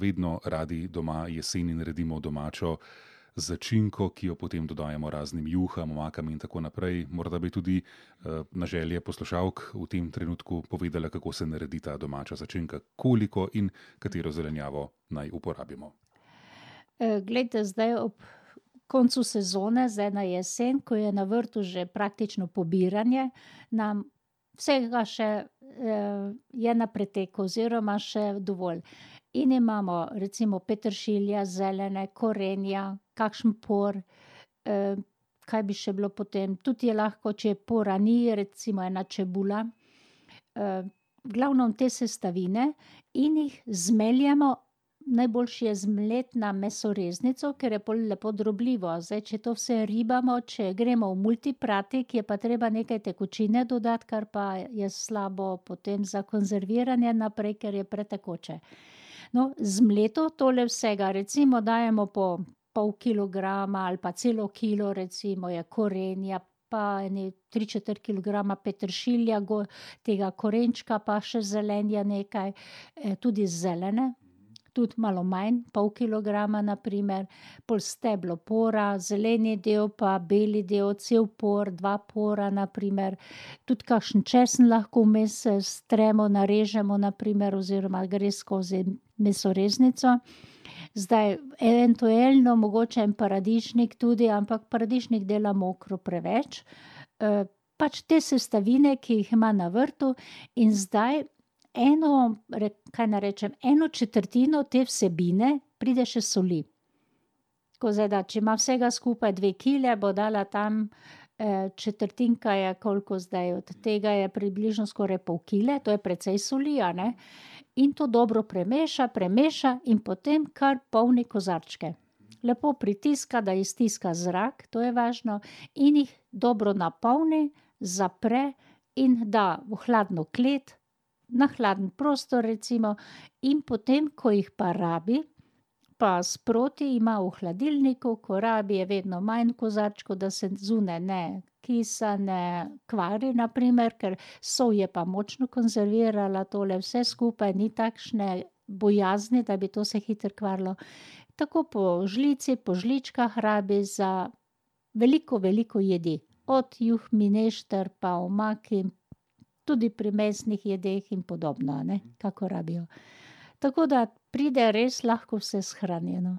vedno radi doma jeseni naredimo domačo začinko, ki jo potem dodajamo raznim juham, omakam in tako naprej. Morda bi tudi na želje poslušalk v tem trenutku povedala, kako se naredi ta domača začinka, koliko in katero zelenjavo naj uporabimo. Glejte, zdaj ob koncu sezone, zdaj na jesen, ko je na vrtu že praktično pobiranje, nam vsega še je na preteku oziroma še dovolj. In imamo recimo peteršilja, zelene, korenja, kakšen por, kaj bi še bilo potem, tudi je lahko, če pora ni, recimo ena čebula. V glavnem te sestavine in jih zmeljemo, najboljše je zmleti na mesoreznico, ker je pol lepo drobljivo. Zdaj, če to vse ribamo, če gremo v multipratik, je pa treba nekaj tekočine dodati, kar pa je slabo potem za konzerviranje naprej, ker je pretekoče. No, zmleto tole vsega, recimo dajemo po pol kilograma ali pa celo kilo recimo je korenja, pa ene 3/4 kilograma peteršilja, tega korenčka, pa še zelenja nekaj, tudi zelene. Tudi malo manj, pol kilograma na primer, pol steblo pora, zeleni del pa beli del, cel por, 2 pora na primer. Tudi kakšen česen lahko vmes stremo, narežemo na primer oziroma gre skozi mesoreznico. Zdaj eventuelno mogoče en paradižnik tudi, ampak paradižnik dela mokro preveč. Pač te sestavine, ki jih ima na vrtu, in zdaj kaj naj rečem, 1/4 te vsebine pride še soli. Tako zdaj, da če ima vsega skupaj 2 kile, bo dala tam četrtinka je koliko zdaj, od tega je približno skoraj pol kile, to je precej soli, a ne. In to dobro premeša in potem kar polni kozarčke. Lepo pritiska, da iztiska zrak, to je važno, in jih dobro napolni, zapre in da v hladno klet, na hladen prostor recimo, in potem, ko jih pa rabi, pa sproti ima v hladilniku, ko rabi, je vedno manj kozarčkov, da se zunaj ne kisa, ne kvari na primer, ker sol je pa močno konzervirala tole vse skupaj, ni takšne bojazni, da bi to se hitro kvarilo. Tako po žlici, po žličkah rabi za veliko, veliko jedi. Od juh, minešter pa omaki, tudi pri mesnih jedeh in podobno, a ne, kako rabijo. Tako da pride res lahko vse shranjeno.